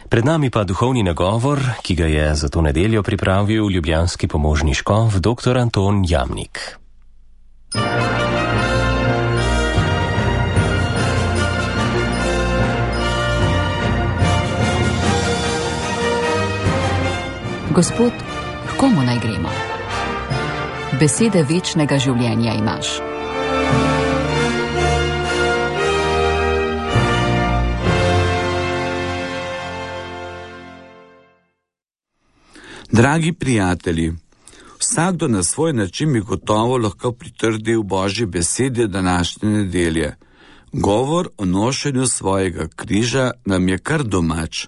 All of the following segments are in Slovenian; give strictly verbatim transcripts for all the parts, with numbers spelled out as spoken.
Pred nami pa duhovni nagovor, ki ga je za to nedeljo pripravil ljubljanski pomožni škof dr. Anton Jamnik. Gospod, k komu naj gremo? Besede večnega življenja imaš. Dragi prijatelji, vsakdo na svoj način bi gotovo lahko pritrdil Božji besedi današnje nedelje. Govor o nošenju svojega križa nam je kar domač.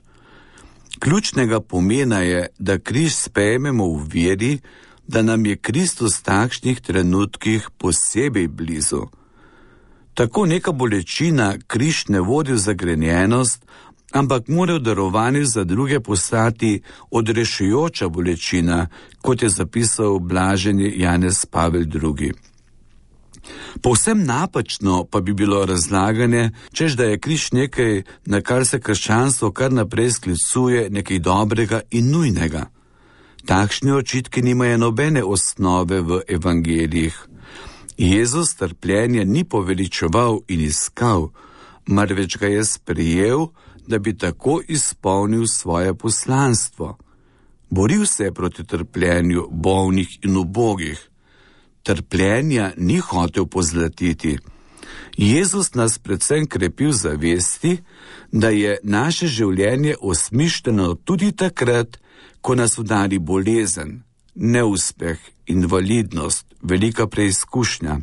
Ključnega pomena je, da križ sprejmemo v veri, da nam je Kristus v takšnih trenutkih posebej blizu. Tako neka bolečina križ ne vodi v zagrenjenost, ampak mora v darovanju za druge postati odrešujoča bolečina, kot je zapisal blaženi Janez Pavel drugi. Povsem napačno pa bi bilo razlaganje, češ da je križ nekaj, na kar se krščanstvo kar naprej sklicuje, nekaj dobrega in nujnega. Takšni očitki nimajo nobene osnove v evangelijih. Jezus trpljenja ni poveličeval in iskal, marveč ga je sprejel, da bi tako izpolnil svoje poslanstvo. Boril se je proti trpljenju bolnih in ubogih. Trpljenja ni hotel pozlatiti. Jezus nas predvsem krepi v zavesti, da je naše življenje osmišljeno tudi takrat, ko nas udari bolezen, neuspeh, invalidnost, velika preizkušnja.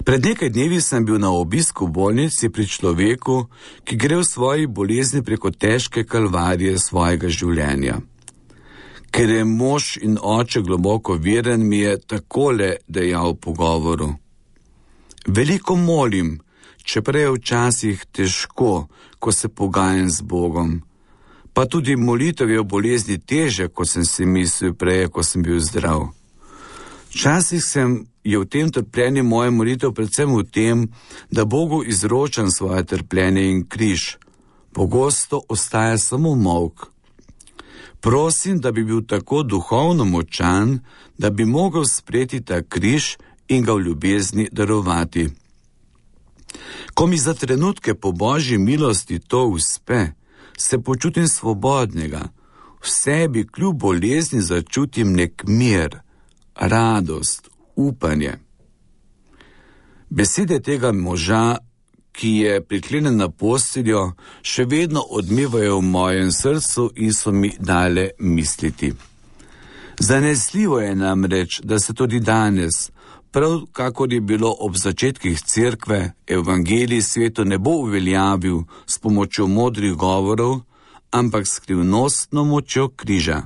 Pred nekaj dnevi sem bil na obisku v bolnici pri človeku, ki gre v svoji bolezni preko težke kalvarije svojega življenja. Ker je mož in oče globoko veren, mi je takole dejal v pogovoru. Veliko molim, čeprav je včasih težko, ko se pogajam z Bogom. Pa tudi molitev je v bolezni teže, kot sem si mislil prej, ko sem bil zdrav. Včasih sem je v tem trpljenju moja molitev predvsem v tem, da Bogu izročam svoje trpljenje in križ. Pogosto ostaja samo molk. Prosim, da bi bil tako duhovno močan, da bi mogel sprejeti ta križ in ga v ljubezni darovati. Ko mi za trenutke po Božji milosti to uspe, se počutim svobodnega. V sebi kljub bolezni začutim nek mir, radost, upanje. Besede tega moža, ki je priklenjen na posteljo, še vedno odmevajo v mojem srcu in so mi dale misliti. Zanesljivo je namreč, da se tudi danes, prav kakor je bilo ob začetkih cerkve, evangelij svetu ne bo uveljavil s pomočjo modrih govorov, ampak skrivnostno močjo križa.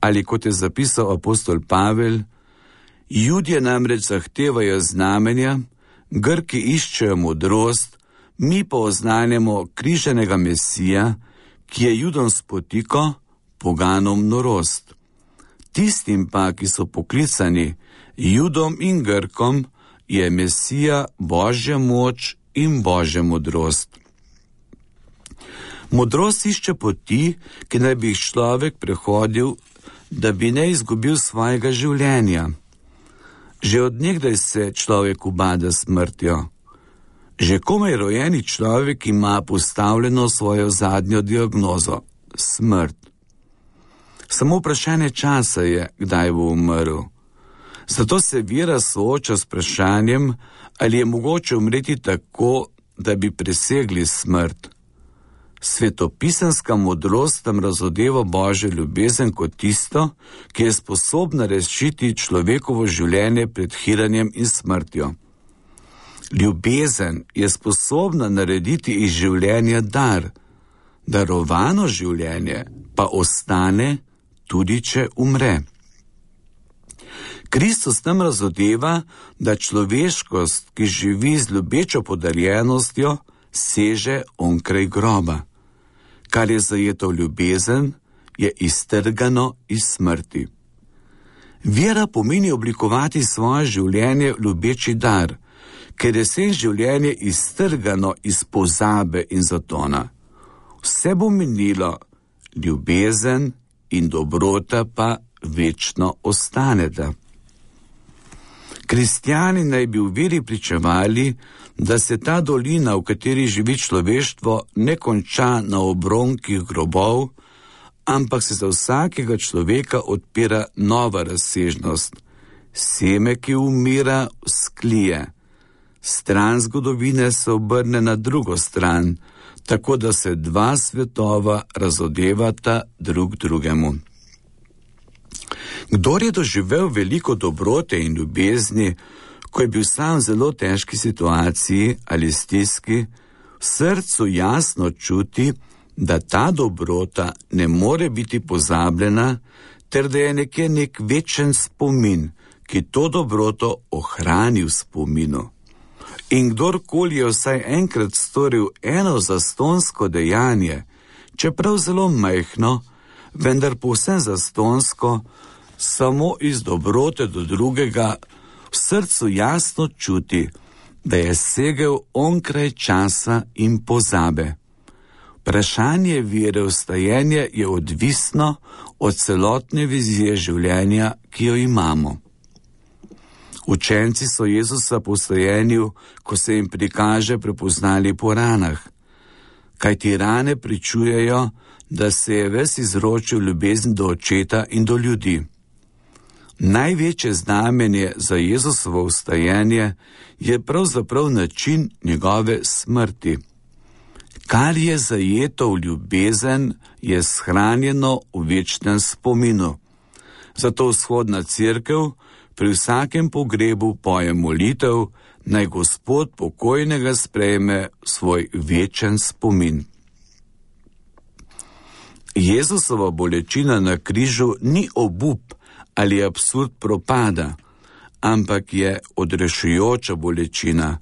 Ali kot je zapisal apostol Pavel, Judje namreč zahtevajo znamenja, Grki iščejo modrost, mi pa oznanjamo križanega Mesija, ki je Judom spotiko, poganom norost. Tistim pa, ki so poklicani, Judom in Grkom, je Mesija Božja moč in Božja modrost. Modrost išče poti, ki naj bi jih človek prehodil, da bi ne izgubil svojega življenja. Že od nekdaj se človek ubada smrtjo. Že komaj rojeni človek ima postavljeno svojo zadnjo diagnozo – smrt. Samo vprašanje časa je, kdaj bo umrl. Zato se vera sooča s vprašanjem, ali je mogoče umreti tako, da bi presegli smrt. Svetopisanska modrost tam razodeva Božjo ljubezen kot tisto, ki je sposobna rešiti človekovo življenje pred hiranjem in smrtjo. Ljubezen je sposobna narediti iz življenja dar, darovano življenje pa ostane, tudi če umre. Kristus nam razodeva, da človeškost, ki živi z ljubečo podarjenostjo, seže onkraj groba. Kar je zajeto v ljubezen, je iztrgano iz smrti. Vera pomeni oblikovati svoje življenje v ljubeči dar, ker je vse življenje iztrgano iz pozabe in zatona. Vse bo minilo, ljubezen in dobrota pa večno ostaneta. Kristjani naj bi v veri pričevali, da se ta dolina, v kateri živi človeštvo, ne konča na obronkih grobov, ampak se za vsakega človeka odpira nova razsežnost. Seme, ki umira, vzklije. Stran zgodovine se obrne na drugo stran, tako da se dva svetova razodevata drug drugemu. Kdor je doživel veliko dobrote in ljubezni, ko je bil sam v zelo težki situaciji ali stiski, v srcu jasno čuti, da ta dobrota ne more biti pozabljena, ter da je nekje nek večen spomin, ki to dobroto ohrani v spominu. In kdorkoli je vsaj enkrat storil eno zastonsko dejanje, čeprav zelo majhno, vendar povsem zastonsko, samo iz dobrote do drugega, v srcu jasno čuti, da je segel onkraj časa in pozabe. Vprašanje vere v stajenje je odvisno od celotne vizije življenja, ki jo imamo. Učenci so Jezusa po stajenju, ko se jim prikaže, prepoznali po ranah, kajti rane pričujejo, da se je ves izročil ljubezen do očeta in do ljudi. Največje znamenje za Jezusovo vstajenje je pravzaprav način njegove smrti. Kar je zajeto v ljubezen, je shranjeno v večnem spominu. Zato vzhodna cerkev pri vsakem pogrebu poje molitev, naj Gospod pokojnega sprejme svoj večen spomin. Jezusova bolečina na križu ni obup ali absurd propada, ampak je odrešujoča bolečina.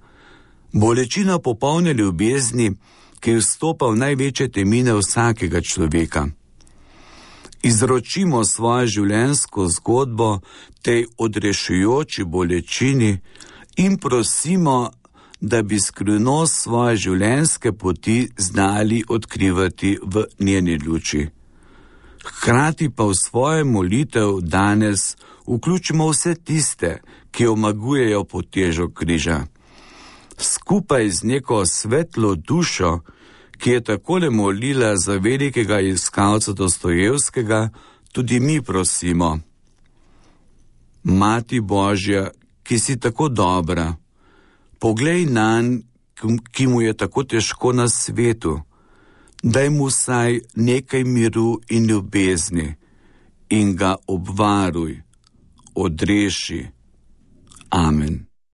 Bolečina popolne ljubezni, ki vstopa v največje temine vsakega človeka. Izročimo svojo življenjsko zgodbo tej odrešujoči bolečini in prosimo, da bi skrivnost svoje življenjske poti znali odkrivati v njeni luči. Hkrati pa v svojo molitev danes vključimo vse tiste, ki omagujejo pod težo križa. Skupaj z neko svetlo dušo, ki je takole molila za velikega iskalca Dostojevskega, tudi mi prosimo. Mati Božja, ki si tako dobra, poglej nanj, ki mu je tako težko na svetu, daj mu vsaj nekaj miru in ljubezni in ga obvaruj, odreši. Amen.